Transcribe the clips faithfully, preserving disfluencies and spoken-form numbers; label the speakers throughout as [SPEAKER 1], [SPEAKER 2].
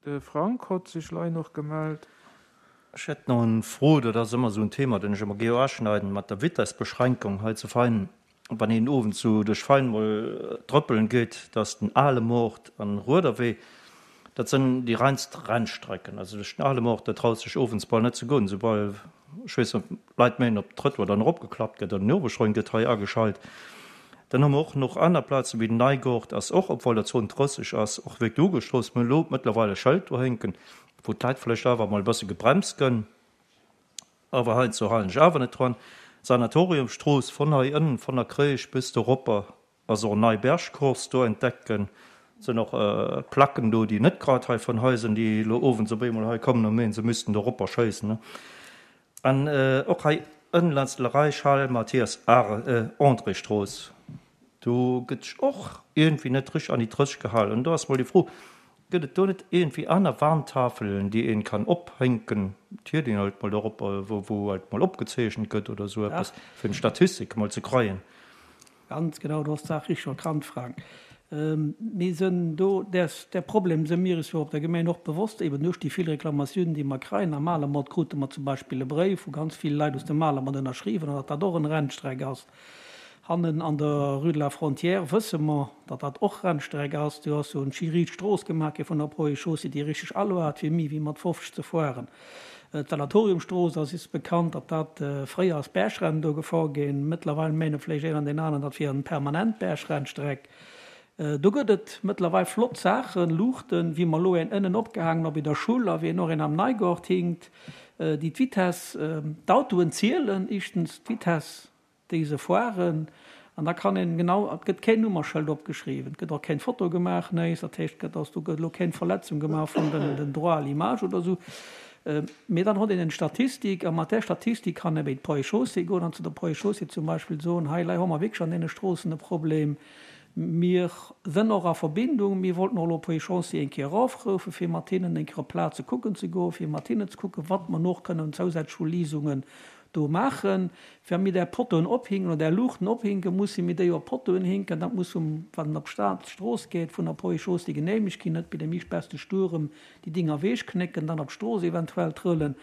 [SPEAKER 1] De Frank hott sech lei noch gemellt.
[SPEAKER 2] Ech hätt nach en Fro, dat ass ëmmer esou en Thema, den ech ëmmer gär aschneiden, mat der Vitessbeschränkung hei zu Vein. Wann een owends sou duerch Vein mol trëppelen geet, da ass den Ale Moart an Ruederwee, dat sënn déi reinst Rennstrecken. Also duerch den Ale Moart, da traust sech owends bal net ze goen, soubal, ech weess net, Leit mengen op Trëttoir dann eropgeklappt gëtt oder den Nürburgring gëtt hei ageschalt. Dann hu mer och nach aner Plazen, wéi den Neigort ass och, obwohl der Zon drësseg ass, och wierklech ugestrooss. Mir hunn elo mëttlerweil e Schëld do hänken, wou d'Leit vläicht awer mol e bësse gebremst gënn. Awer heiansdo halen ech awer net dran. D'Sanatoriumstrooss von hei ënnen, von der Kréisch bis doropper, ass och nei Bergcourse do entdeckt gënn. Et sinn och Placken do, déi net grad hei von hei sinn, déi elo owends op eemol hei kommen a mengen, se müssten doropper schéissen. An och hei ënnen laanscht de Charles Mathias André Strooss, do gëtt sech och iergendwéi net richteg an déi drësseg gehalen. An do ass mol déi Fro, Gëtt et do net iergendwéi aner Warntafelen, déi een kann ophänken, d'hiert een halt mol dorop, wou wou halt mol opgezeechent gëtt oder esou eppes, fir eng Statistik mol ze kreien?
[SPEAKER 3] Ganz genau, du has d'Saach richteg erkannt, Frank. Mir sënn do, däers, där Problem së mir is jo op der Gemeng och bewosst, eben duerch déi vill Reklamatiounen, déi mer kreien. Am Malermont krute mer zum Beispill e Bréif, wou ganz vill Leit aus dem Malermont ënnerschriwwen hunn, datt dat och en Rennstreck ass. Hannen an der Rue de la Frontière wësse mer, datt dat och Rennstreck ass. Do ass jo en schi riit Strooss gemaach gi vun der Poids Chaussée, déi richteg Allure hat, fir méi wéi mat fofzeg ze fueren. D'Sanatoriumstrooss ass is bekannt, datt dat fréier ass Bergrennen do gefor ginn. Mëttlerweil mene vläicht een an deen aneren, dat wier en permanent Bergrennstreck. Do gëtt et mëttlerweil flott Saachen, Luuchten, wéi mer elo een ënnen opgehaangen hu bei der Schull a wéi en och een am Neigort hinkt, déi d'Vitess, d'Autoen zielen, éischtens d'Vitess, déi se fueren, an da kann een genau, et gëtt keen Nummerschëld opgeschriwwen, et gëtt och keng Foto gemaach, néis, dat heescht, et gëtt, do gëtt elo keng Verletzung gemaach vun den, den Droit à l'image oder esou. Mee dann huet een eng Statistik a mat där Statistik kann ee bei d'Ponts et Chaussées goen an zu der Ponts et Chaussées zum Beispill soen, hei lei hu mer wierklech an deene Stroossen e Problem. Mir sënn och a Verbindung, mir wollten och elo Ponts et Chaussées eng Kéier erofroufen, fir mat hinnen eng Kéier op d'Plaze kucken ze goen, fir mat hinnen ze kucken, wat mer och kënnen zousätzlech u Liisungen do maachen. Wa mir där Pottoen ophinken oder där Luuchten ophinken, musse mir déi op Pottoen hinken. Dat muss vum, wann en op d'Strooss geet, vun der Ponts et Chaussées geneemegt ginn, net bei dem ichbeste Stuerem déi Dinger ewechknécken, dann op d'Strooss eventuell trëllen.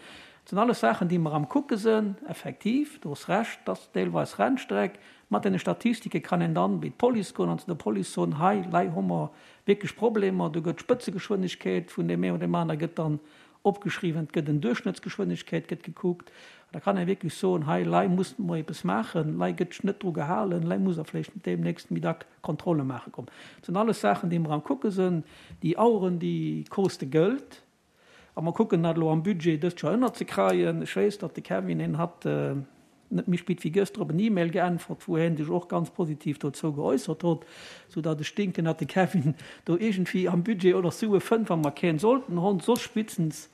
[SPEAKER 3] Dat sinn alles Saachen, déi mer am Kucke sinn. Effektiv, du hues Recht, dat ass deelweis Rennstreck. Mat deene Statistike kann een dann bei d'Police goen an zu der Police soen, hei, lei hu mer wierklech Problemer, do gëtt d'Spëtzegeschwindegkeet vun deem een oder deem aner gëtt dann opgeschriwwen, et gëtt en Duerchschnëttsgeschwindegkeet gëtt gekuckt. An da kann ee wierklech soen, hei, lei musse mer eppes maachen, lei gëtt net dru gehalen, lei muss der vläicht deemnächst méi dack Kontrolle maache kommen. Dat sinn alles Saachen, déi mer am Kucke sinn. Déi Aueren, déi koste Gëld. A mer kucken dat elo am Budget dëst Joer ënnerzekreien. Ech weess, datt de Kevin, hien hat net méi spit wéi gëschter op en E-Mail geäntwert, wou hien sech och ganz positiv dozou geäussert hott, soudatt ech denken, datt de Kevin do iergendwéi am Budget oder Sue fënnt, wa mer keen sollten honn. Soss spitstens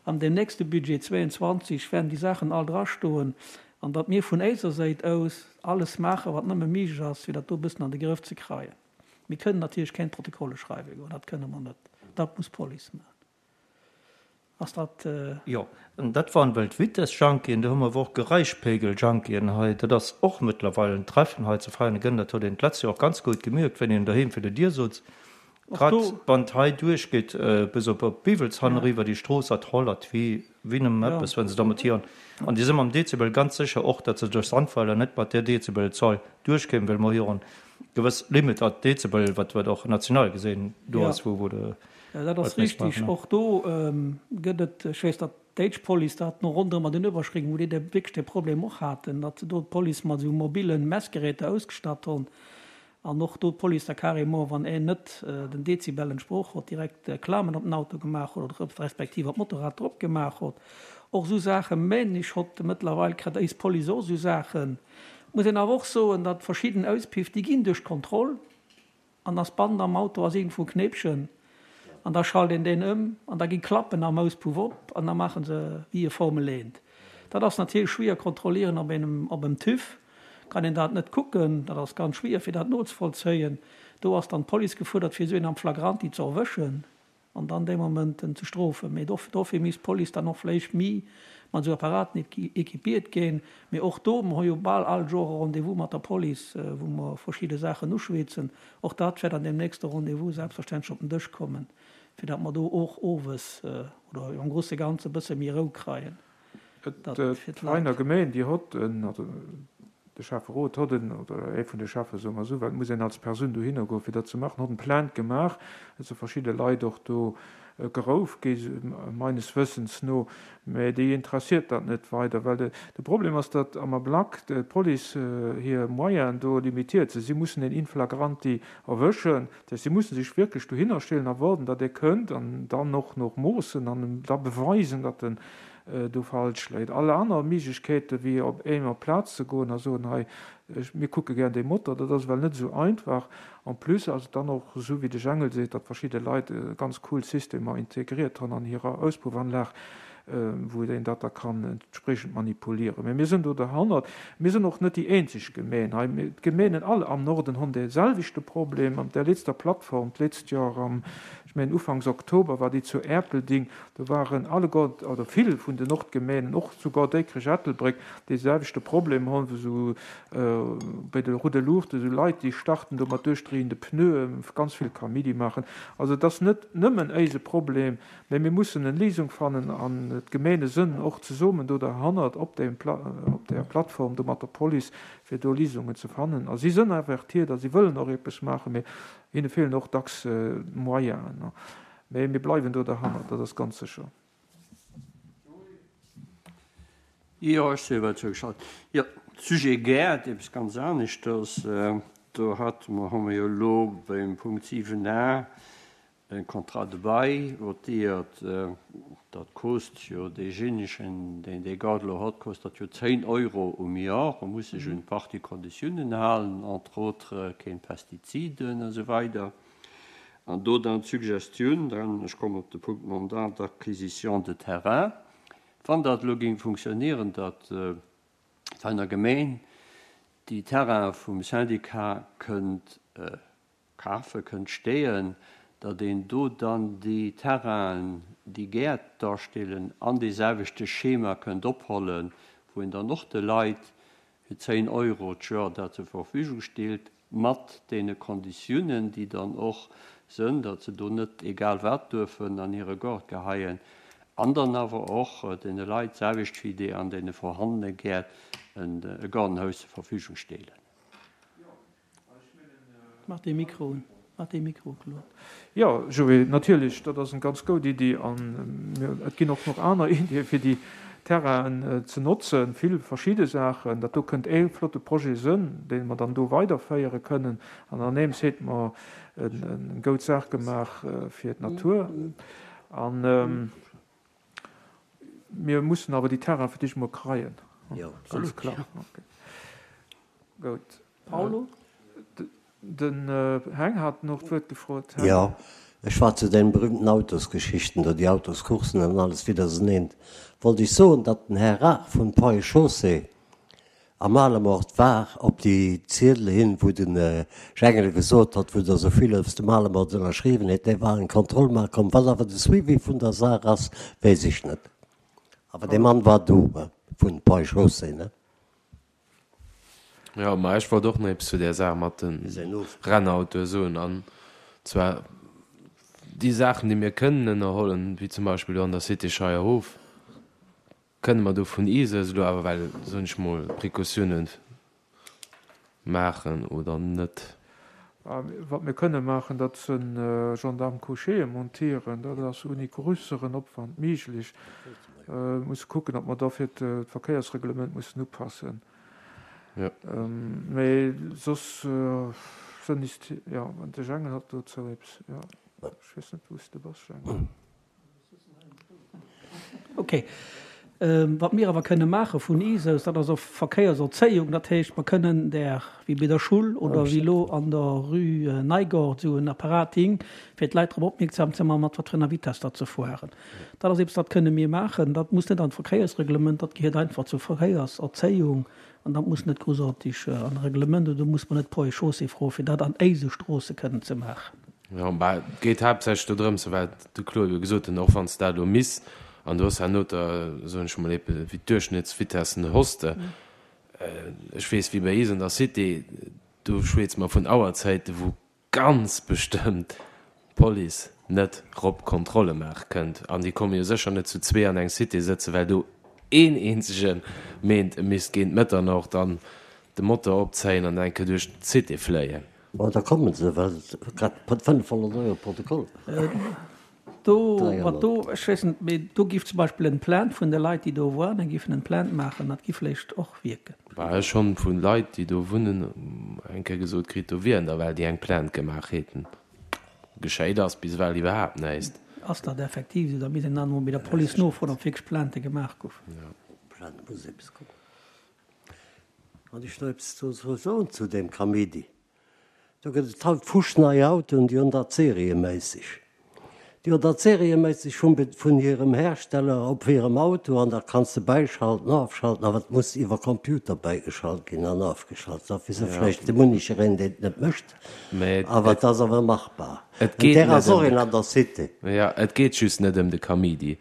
[SPEAKER 3] an deem nächste Budget zwéianzwanzeg wäerten déi Saachen all drastoen an datt mir vun éiser Séit aus alles maachen, wat nëmme méiglech ass, fir dat do e bëssen an de Grëff ze kreien. Mir kënnen natierlech keng Protokolle schreiwe goen, dat kënne mer net, dat muss d'Police maachen. Ass dat.
[SPEAKER 2] Jo, an dat waren well d'Vitess-Junkien, do hu mer awer och Geräischpegel-Junkien hei. Dat ass och mëttlerweil en Treffen hei zu Veianen. Dat huet een d'letzt Joer och ganz gutt gemierkt, wéi een doheem fir der Dier sutz. Grad wann et hei duerchgeet bis op op Biwelshann eriwwer, déi Strooss, dat rollert wéi wéi nëmmen eppes, wa se da mat hiren, an déi si mam Dezibel ganz sécher och, datt se duerch Sandweiler net mat där Dezibelzahl duerchkéimen, well mer hiren gewëss Limit a Dezibel, wat wat och national gesinn do ass, wou wou de.
[SPEAKER 3] Jo, dat ass richtig. Och do gëtt et, ech weess, datt d'déitsch Police dat no ronderëm an den Uewerschrécken, wou déi wierklech dee Problem och haten, datt se do d'Police mat esou mobile Messgeräter ausgestatt hunn an och do d'Police da carrément, wann een net den Dezibel entsprooch huet, direkt Klamen op den Auto gemaach huet oder respektiv op d'Motorrad drop gemaach huet. Och esou Saache mengen ech hott mëttlerweil kritt eis Police och esou Saachen. Muss een awer och soen, datt verschidden Auspiff, déi ginn duerch d'Kontroll. An ass Band am Auto ass iergendwou e Knéipchen an da schalt een deen ëm an da gi Klappen am Auspuff op an da maache se wéi e Formel eent. Dat ass natierlech schwéier kontrollieren op engem op em TÜV kann een dat net kucken, dat ass ganz schwéier fir dat nozevollzéien. Do ass dann d'Police gefuerdert fir esou een am flagranti ze erwëschen. An dann dee Moment en ze strofen. Mee dofir misst d'Police dann och vléicht méi mat esou Apparaten équipiert ginn. Mee och do, mer hu jo bal all Joer e Rendez-vous mat der Police, wou mer verschidde Saachen uschwätzen. Och dat wäert an deem nächste Rendez-vous selbstverständlech op den Dësch kommen, fir datt mer do och owes oder am grouse Ganze e bësse méi Rou kreien.
[SPEAKER 1] D'Vereiner Gemeen, déi hott en, also de Schäfferot hott en, oder ee vun de Schäffe soe mer esou, well et muss een als Persoun dohinner goen, fir dat ze maachen, hott en Plainte gemaach. Et si verschidde Leit och do gerouf gi meines Wëssens no, mä déi interessiert dat net weider, well de Problem ass, datt am Ablack d'Police hir Moyenen do limitiert sinn. Si mussen een in flagranti erwëschen, dat heescht, si mussen sech wierklech dohinner stellen a waarden, datt ee kënnt an dann och nach moossen an em da beweisen, datt en do falsch léit. All aner Méiglechkeete wéi op eem op d'Plaz ze goen a soen, hei, mir kucke gär dee Motor, dat ass ewell net esou einfach. En plus ass et dann och esou, wéi de Jengel seet, datt verschidde Leit ganz cool Systemer integriert hunn an hirer Auspuffanlag, wou een dat da kann entspriechend manipulieren. Mä mir sinn do derhannert. Mir sinn och net déi eenzeg Gemeen hei. D'Gemeenen all am Norden hunn dee selwechte Problem. An där letzter Plattform d'letzt Joer am, ech mengen ufanks Oktober war déi zu Erpelding, do waren alleguer oder vill vun den Nordgemeenen, och souguer Déikrech-Ettelbréck, dee selwechte Problem hunn, wou esou bei de Roues de Lourdes esou Leit, déi starten do mat duerchdréiende Pneuen, ganz vill Kaméidi maachen. Also et ass net nëmmen éise Problem, mä mir mussen en Léisung fannen an d'Gemeene sënn och zesummen do derhannert op deem op där Plattform do mat der Police, fir do Léisungen ze fannen. A si sënn avertiert a si wëllen och eppes maachen, mä hinne feelen och dacks d'Moyenen. Mä mir bleiwen do derhannert, dat ass ganz sécher.
[SPEAKER 2] Jo, ech si ewell zougeschalt. Jo, Sujet Gäert, eppes ganz aneschters. Do hate mer, hu mer jo elo beim Punkt siwen a e Contrat de bail votéiert. Dat kost jo deejéinegen, deen dee Gaart elo hott, kost dat jo zéin Euro um Joer. E muss sech un partie Konditiounen halen, entre autres keen Pestiziden a sou weider. An do dann d'Suggestioun, dann, ech kommen op de Punkt Mandat d'acquisition de terrain, wann dat elo géing funktionieren, datt d'Veiner Gemeng déi Terraine vum Syndicat kënnt kafen, kënnt steeën, datt een do dann déi Terrainen, déi Gäert darstellen, an deeselwechte Schema kënnt ophollen, wou een dann och de Leit fir zéin Euro d'Joer dat zur Verfügung stellt, mat deene Konditiounen, déi dann och sënn, datt se do net egal wat duerfen an hire Gaart geheien, an dann awer och deene Leit, d'selwecht wéi déi an deene vorhandene Gäert, e Gaardenhaus zur Verfügung stellen.
[SPEAKER 3] Mach dee Mikro un. Mach dee Mikro, Claude.
[SPEAKER 1] Jo, Joé, natierlech, dat ass eng ganz goud Iddi. An et ginn och nach aner Iddie fir déi Terrainen ze notzen, vill verschidde Saachen. Dat do kënnt ee flotte Projet sënn, dee mer dann do weiderféiere kënnen. An aneems heet mer eng goud Saach gemaach fir d'Natur. An mir mussen awer déi Terraine fir d'éischt emol kreien. Ganz kloer. Goud.
[SPEAKER 3] Paulo?
[SPEAKER 1] Den Heng hat och d'Wuert gefrot.
[SPEAKER 4] Heng. Jo, ech war zu deenen berühmten Autosgeschichten do, déi Autoscoursen an alles widderseneen, wollt ech soen, datt den Här Raach vun Ponts et Chaussées am Malemort war op déi Ziedele hin, wou de Jengele gesot hat, wou der esou vill aus dem Malemort ënnerschriwwen huet, dee war eng Kontroll maache komm. Wat awer de Suivi vun der Saach ass, weess ech net. Awer dee Mann war do vun Ponts et Chaussées, ne?
[SPEAKER 5] Jo, ma ech wollt och nach eppes zu där Saach mat de Rennautoe soen, an zwar déi Saachen, déi mir kënnen ënnerhollen, wéi zum Beispill do an der Cité Scheierhof, kënne mer do vun eis aus elo awer well, soen ech mol, Precautiounen maachen oder net?
[SPEAKER 1] Wat mir kënne maachen, dat si Gendarme-couchéë montieren. Dat ass ouni grösseren Opwand méiglech. Mir musse kucken, ob mer da fir d'Verkéiersreglement mussen upassen. Mee soss sënn is, jo, de Jengel hat dozou eppes, jo, ech weess net, wou s de bass, Jengel.
[SPEAKER 3] Ok. Wat mir awer kënne maache vun is aus, dat ass och Verkéierserzéiung. Dat heescht, mer kënnen där, wéi bei der Schull oder wéi elo an der Rue Neigort, esou en Apparat hing, fir d'Leit drop opmierksam ze maachen, mat wat fir enger Vitesse datt se fueren. Dat ass eppes, dat kënne mir maachen. Dat muss net an d'Verkéiersreglement, dat gehéiert einfach zur Verkéierserzéiung an dat muss net groussaartig an e Reglement oder do muss mer net Ponts et Chaussées froen, fir dat an éise Stroosse kënnen ze maachen.
[SPEAKER 5] Jo, mä et geet haaptsächlech do drëms, wat de Claude jo gesot huet, och wann s de dat elo misst, an du hues herno der, soen ech emol, eebe wéi d'Duerchschnittsvitessen hues de, ech weess, wéi bei eis an der Cité, do schwätze mer vun Auerzäiten, wou ganz bestëmmt d'Police net rop Kontrolle maache kënnt. An déi komme jo sécher net zu zwee an eng Cité sëtzen, well do een eenzege meent, e misst géint Mëtternocht dann de Motor opzéien an eng Kéier duerch d'Cité fléien.
[SPEAKER 4] Ma da kommen se, well grad fënnefhonnert Euro Protokoll.
[SPEAKER 3] Do, wat do, ech weess net, mee do giff zum Beispill en Plainte vun de Leit, déi do waren, giffen en Plainte maachen, dat giff vléicht och wierken.
[SPEAKER 5] Bah, ech honn vu Leit, déi do wunnen, eng Kéier gesot kritt, do wieren der well, déi eng Plainte gemaach häten. Geschéit ass bis ewell iwwerhaapt näischt.
[SPEAKER 3] Ass dat effektiv esou? Da misst een dann emol bei der Police nofroen, ob wierklech Plaintë gemaach goufen.
[SPEAKER 4] Plainte muss eppes kommen. Wann ech nach eppes dozou soen zu deem Kaméidi, do gëtt et haut fuschnei Autoen, déi hunn dat serieméisseg. Déi hunn dat serieméisseg vum vun hirem Hersteller op hirem Auto an da kanns de bäischalten, ofschalten, awer et muss iwwer Computer bäigeschalt ginn an ofgeschalt. Dat wéisst vläicht de Munichereen, deen et net mécht, awer et ass awer machbar.
[SPEAKER 5] Et
[SPEAKER 4] En
[SPEAKER 5] geet
[SPEAKER 4] där
[SPEAKER 5] net
[SPEAKER 4] ass och
[SPEAKER 5] ëm
[SPEAKER 4] een
[SPEAKER 5] de
[SPEAKER 4] an der Cité.
[SPEAKER 5] Jo, et geet just net ëm de Kamidi.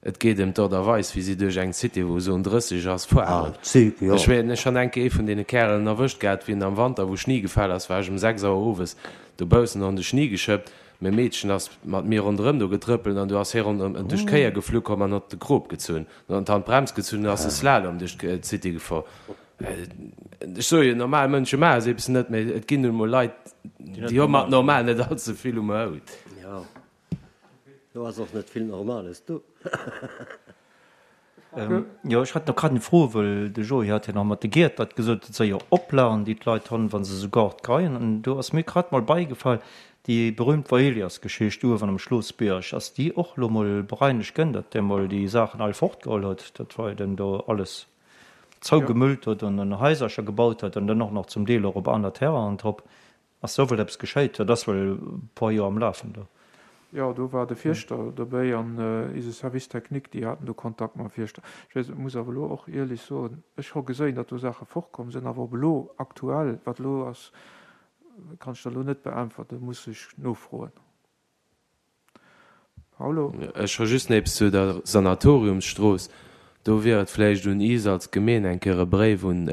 [SPEAKER 5] Et geet ëm d'Ort a Weis, wéi si duerch eng Cité, wou Zone drësseg ass,
[SPEAKER 4] Ah,
[SPEAKER 5] fueren.
[SPEAKER 4] d'Züg, jo.
[SPEAKER 5] Ech ween, ech han eng Kéier ee vun deene Kärelen erwëscht gehat, wéi en am Wanter, wou Schni gefall ass, war ech um sechs Auer owes dobaussen, han de Schni geschëppt. Mäi Meedchen ass mat mir ronderëm do getrëppelt an du ass hie ronderëm duerch d'Kéier geflu komm an hott de Krop gezunn. Dann huet d'Hand d'Brems gezunn an ass e Slalom duerch d'City gefor. Ech soe jo, normal Mënsche maache sou eppes net, mee et ginn nun emol Leit, déi hu mat normal net all ze vill um Hout.
[SPEAKER 4] Jo, do ass och net vill Normales do.
[SPEAKER 2] Jo, ech hat nach grad eng Fro, wëll de Joé hat jo nach mat de Giert dat gesot, dat sei jo Oplagen, déi d'Leit honn, wa se esou Gart kreien. An do ass mir grad mol beigefall, déi berühmt Vaelias-Geschicht uewen am Schlossbierg, ass déi och elo mol bereinegt gënn, datt dee mol déi Saachen all fortgeholl huet, dat war jo den do alles zougemüllt huet an en Haisercher gebaut huet an dann och nach zum Deel och op aner Terrainen drop. Ass do wuel eppes geschéit? Dat ass wuel e puer Joer am Lafen do.
[SPEAKER 1] Jo, do war de Fierschter dobéi an eise Service technique, déi haten do Kontakt mam Fierschter. Ech weess, muss awer elo och ierlech soen, ech ho geséin, datt do Saache fortkomm sinn, awer ob elo aktuell, wat elo ass, kann ech der elo net beäntwerten, muss ech nofroen. Paolo?
[SPEAKER 5] Ech hu just nach eppes zu der Sanatoriumsstrooss. Do wier et vläicht un is als Gemeen eng Kéier e Bréif un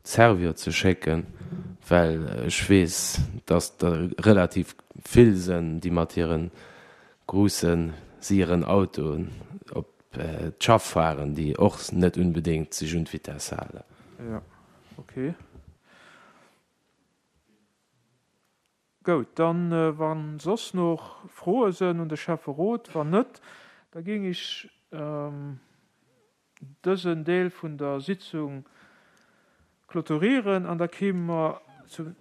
[SPEAKER 5] d'Servior ze schécken, well ech weess, dass der relativ vill sënn, déi mat hire gruussen, sieren Autoen op d'Schaff fahren, déi och net unbedéngt sech un d'Vitesse halen.
[SPEAKER 1] Jo, okay. Goud, dann, wa soss noch Froe sënn un de Schäfferot, wann net, da géing ech dësen Deel vun der Sitzung clôturieren an da kéime mer zum,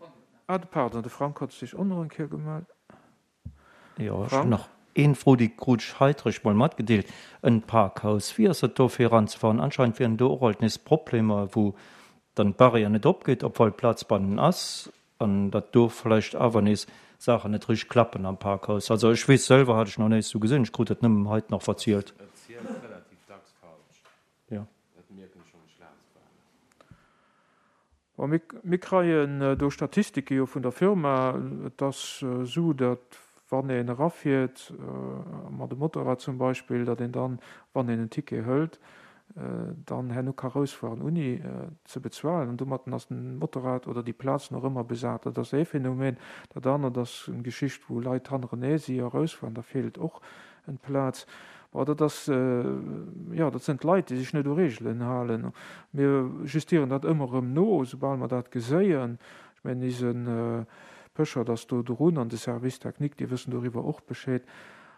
[SPEAKER 1] ah, pardon, de Frank hat sech och nach eng Kéier gemellt.
[SPEAKER 2] Jo, ech hunn
[SPEAKER 1] Frank?
[SPEAKER 2] nach een Fro, déi krut ech hei eréischt mol matgedeelt, En Parkhaus, wéi ass et do fir eranzefahren? Anscheinend wieren do och alt nees Problemer, wou dann d'Barrière net opgeet, obwuel Plaz bannen ass, an datt do vläicht awer nees Saachen net richteg klappen am Parkhaus. Also ech weess selwer, hat ech nach näischt sou gesinn, ech krut dat nëmmen hait nach verzielt.
[SPEAKER 5] Et zielt relativ dacks falsch,
[SPEAKER 2] Jo.
[SPEAKER 5] dat mierken ech, wann ech laanscht fahren.
[SPEAKER 1] Bon, mir, mir kreien do Statistike jo vun der Firma. Et ass esou, datt wann een erafiert, mat dem Motorrad zum Beispill, datt een dann, wann een en Ticket hëlt, dann herno ka rausfueren ouni ze bezuelen. An domatten ass den Motorrad oder déi Plaz nach ëmmer besat. Dat ass ee Phänomen. Dat anert ass eng Geschicht, wou Leit hannerenee si a rausfueren, da feelt och en Plaz. Bon, dat ass, jo, dat sinn d'Leit, déi sech net u Reegelen halen. Mir justieren dat ëmmer erëm no, soubal mer dat geséien. Ech mengen, ise Pöschert ass do drun an de Service technique, déi wëssen doriwwer och Bescheed.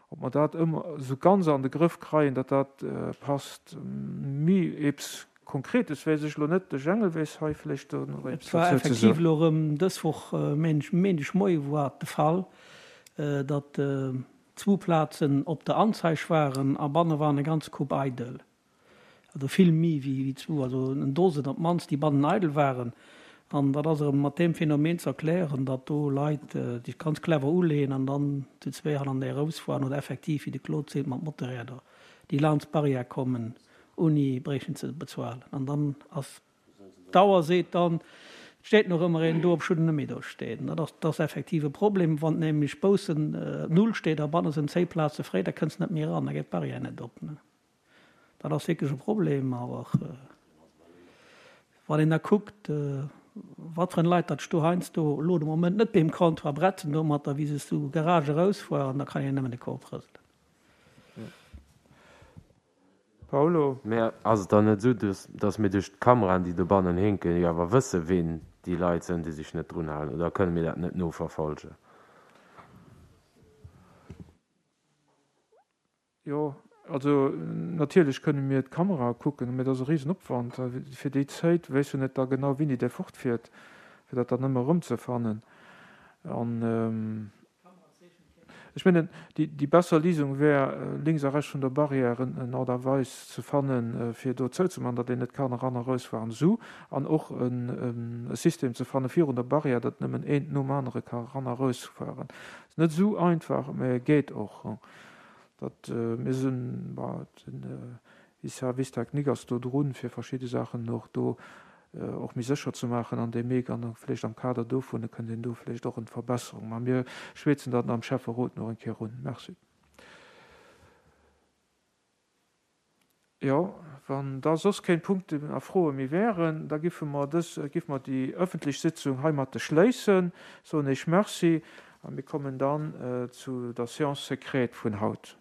[SPEAKER 1] Ob mer dat ëmmer esou ganz an de Grëff kreien, datt dat passt, mi eppes Konkretes weess ech elo net. De Jengel weess hei vläicht do nach
[SPEAKER 3] Et
[SPEAKER 1] eppes
[SPEAKER 3] war
[SPEAKER 1] dozou ze
[SPEAKER 3] effektiv
[SPEAKER 1] soen.
[SPEAKER 3] elo erëm dës Woch Méindegmoie war et de Fall, datt zwou Plazen op der Anzeig waren a banne waren e ganz Koup eidel. Also vill méi wéi zwou, also en Dosen op d'mannst, déi bannen eidel waren. An dat ass erëm mat deem Phänomen ze erklären, datt do Leit sech ganz clever uleeën an dann zu zwee hannerneer erousfueren oder effektiv, wéi de Claude seet, mat Motorräder, déi laanscht d'Barrière kommen, ouni bréichten ze bezuelen. An dann ass d'Auer seet dann, et steet nach ëmmer een do, obschonn en net méi do steet. An dat ass, dat ass effektiv e Problem, wann nämlech baussen null steet a banne sinn zéi Plaze fréi, da kënns net méi eran, da geet d'Barrière net op. Dat ass wierklech e Problem. Awer wann een da kuckt, Wat fir en Leit datt ech do heiansdo elo de Moment net beim Comptoir bretzen domatter, wéi se zu Garage erausfueren, da kann een nëmmen de Kop rëselen.
[SPEAKER 1] Paolo?
[SPEAKER 5] Mä ass et dann net esou, datt mir duerch d'Kameraen, déi dobannen hinken, jo awer wësse ween déi Leit sënn, déi sech net drun halen? Oder kënne mir dat net noverfolgen?
[SPEAKER 1] Jo, also natierlech kënne mir d'Kamerae kucken, mä dat ass e Risenopwand. Fir déi Zäit weess jo net da genau, wéini dee fortfiert, fir dat dann ëmmer erëmzefannen. An ech mengen, déi besser Lisung wär, lénks a rechts vun der Barrière en Art a Weis ze fannen, fir do zouzemaachen, datt een net kann eran a erausfueren, esou, an och e System ze fanne virun der Barrière, datt nëmmen eent nom anere ka eran a erausfueren. Ass net esou einfach, mä geet och. Datt mir sinn, bon, den Service technique ass do drun, fir verschidde Saachen och do och méi sécher ze maachen an deem Meek an vläicht am Kader dovun kënnt een do vläicht och en Verbesserung. Mä mir schwätzen dat am Schäfferot nach eng Kéier un. Merci. Jo, wann da soss keng Punkten a Froe méi wären, da giffe mer dës, giffe mer déi öffentlech Sitzung heimatte schléissen. Soen Iech Merci a mir kommen dann zu der Séance secrète vun haut.